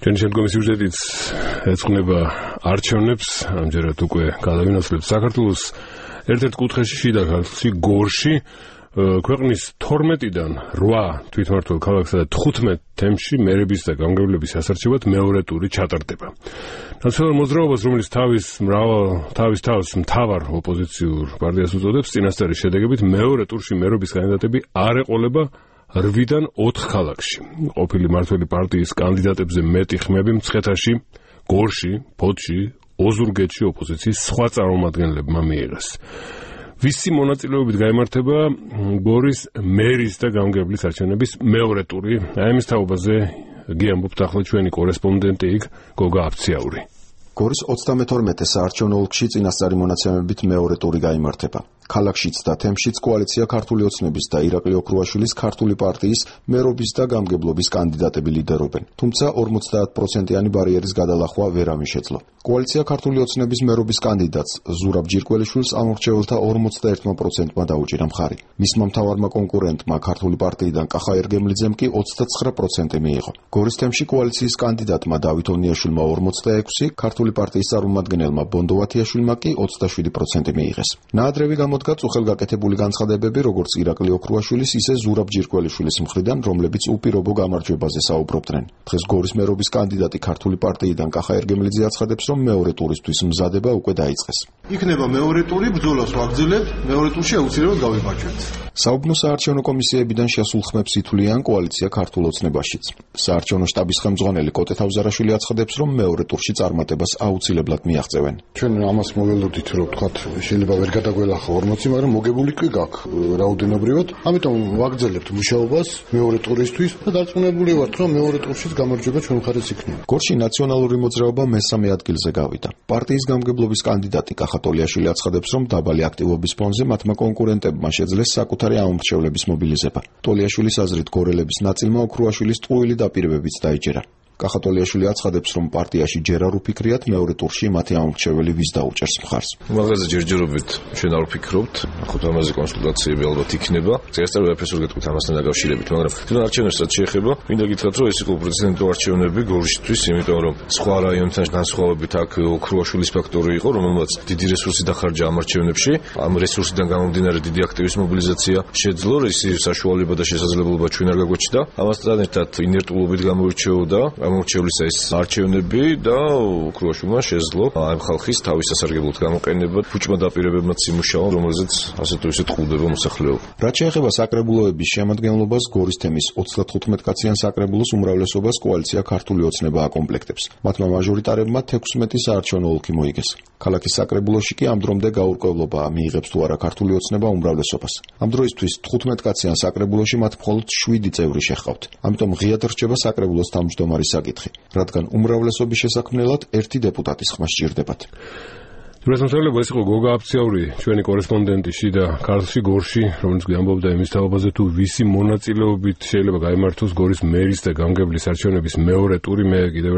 ჩვენი შემდგომი სიუჟეტიც ეძღვნება არჩევნებს, ამჯერად უკვე გადავინაცვლებთ საქართველოს ერთ-ერთ კუთხეში შიდა ქართლში, გორში, ქვეყნის 12-დან 8 თვითმმართველ ქალაქსა და 15 თემში მერების და გამგებლების ასარჩევად მეორე ტური ჩატარდება. ნაციონალურ მოძრაობას, რომელიც თავის თავს მთავარ ოპოზიციურ პარტიას უწოდებს, წინასწარი შედეგებით მეორე ტურში მერობის კანდიდატები არ ეყოლება 8-დან 4 ქალაქში. ყოფილი მმართველი პარტიის კანდიდატებზე მეტი ხმები მცხეთაში, გორში, ფოთში, ოზურგეთში ოპოზიციის სხვა წარმომადგენლებმა მიიღეს. ვისი მონაწილეობით გაიმართება გორის მერის და გამგებლის არჩევნების მეორე ტური? აი ამის თაობაზე გიამბობთ ახლა ჩვენი კორესპონდენტი იქ გოგა აფციაური. გორის 32 საარჩევნო ოლქში წინასწარი მონაცემებით მეორე ტური გაიმართება. ქალაქშიც და თემშიც კოალიცია ქართული ოცნების და ირაკლი ოქრუაშვილის ქართული პარტიის მერობის და გამგებლობის კანდიდატები ლიდერობენ. თუმცა 50%-იანი ბარიერის გადალახვა ვერ ამიშეძლო. კოალიცია ქართული ოცნების მერობის კანდიდატს ზურაბ ჯირკველიშვილს ამორჩეველთა 51%-მა დაუჭირა მხარი. მისმა მთავარმა კონკურენტმა ქართული პარტიიდან კახა ერგემლიძემ კი 29% მიიღო. გორის თემში კოალიციის კანდიდატმა დავით ონიაშვილმა 46%, ქართული პარტიის წარმომადგენელმა ბონდო ვათიაშვილმა კი 27% მიიღეს. ნაადრევი გამოდგა წუხელგაკეთებული განცხადებები როგორც ირაკლი ოქრუაშვილის, ისე ზურაბ ჯირკველიშვილის მხრიდან, რომლებიც უპირობო გამარჯვებაზე საუბრობდნენ. დღეს გორის მერობის კანდიდატი ქართული პარტიიდან კახა ერგემლიძე აცხადებს, რომ მეორე ტურისთვის მზადება უკვე დაიწყეს. იქნება მეორე ტური, ბრძოლას ვაგრძელებთ, მეორე ტურში აუცილებლად გავიმარჯვებთ. საუბნო საარჩევნო კომისიებიდან შესულ ხმებს ითვლიან კოალიცია ქართულ ოცნებაშიც. საარჩევნო შტაბის ხელმძღვანელი კოტე თავზარაშვილი აცხადებს, რომ მეორე ტურში წარმატებას აუცილებლად მიაღწევენ. ჩვენ ამას მოველოდით, რომ თქვათ, შეიძლება ვერ გადაგველახო 40, მაგრამ მოგებული კი გაქვს რაოდენობრივად. ამიტომ ვაგრძელებთ მუშაობას მეორე ტურისთვის და დარწმუნებული ვართ, რომ მეორე ტურშიც გამარჯვება ჩვენ მხარეს იქნება. გორში ნაციონალური მოძრაობა მესამე ადგილზე გავიდა. პარტიის გამგებლობის კანდიდატი კახა ტოლიაშვილი აცხადებს, რომ დაბალი აქტივობის ფონზე მათმა კონკურენტებმა შეძლეს საკუთარი ამომრჩევლების მობილიზება. ტოლიაშვილის აზრით გორელების ნაწილმა ოქრუაშვილის ტყუილი დაპირებებიც დაიჯერა. კახა ტოლიაშვილი აცხადებს, რომ პარტიაში ჯერ არ უფიქრიათ მეორე ტურში მათი ამომრჩეველი ვის დაუჭერს მხარს. მაგაზე ჯერჯერობით ჩვენ არ ვფიქრობთ, ახლა ამაზე კონსულტაციები ალბათ იქნება. წესწრაფად ვეფესურ გეტყვით ამასთან დაკავშირებით, მაგრამ თვითონ არჩევნებს რაც შეეხება, მინდა გითხრათ, რომ ეს იყო პრეზიდენტო არჩევნები გორშისთვის, იმიტომ რომ სხვა რაიონთან განსხვავებით აქ ოქრუაშვილის ფაქტორი იყო, რომელმაც დიდი რესურსი დახარჯა ამ არჩევნებში. ამ რესურსიდან გამომდინარე დიდი აქტივის მობილიზაცია შეძლო, ისი საშუალება და შესაძლებლობა ჩვენ არ გაგვეჩნდა. ამასთან ერთად ინერტულობით გამოირჩეოდა ამორჩევლის ეს არჩევნები და ოქრუაშვილმა შეძლო ამ ხალხის თავის სასარგებლოდ გამოყენება, ფუჭმა დაპირებებმაც იმუშავა, რომელზეც ასე თუ ისე ტყუდება მოსახლეობა. რაც შეეხება საკრებულოების შემადგენლობას, გორის თემის 35-კაციან საკრებულოს უმრავლესობას კოალიცია ქართული ოცნება აკომპლექტებს. მათმა მაჟორიტარებმა 16 საარჩევნო ოლქი მოიგეს. ქალაქის საკრებულოში კი ამ დრომდე გაურკვევლობა მიიღებს თუ არა ქართული ოცნება უმრავლესობას. ამ დროისთვის 15-კაციან საკრებულოში მათ მხოლოდ 7 წევრი შეჰყავთ. ამიტომ ღიად რჩება საკრებულოს თავმჯდომარის საკითხი, რადგან უმრავლესობის შესაქმნელად 1 დეპუტატის ხმა სჭირდებათ. დროსმოსავლება ეს იყო გოგა აფციაური, ჩვენი კორესპონდენტი შიდა ქართლში, გორში, რომელიც გვამბობდა იმის თაობაზე, თუ ვისი მონაწილეობით შეიძლება გაიმართოს გორის მერის და გამგებლის არჩევნების მეორე ტური. მე კიდევ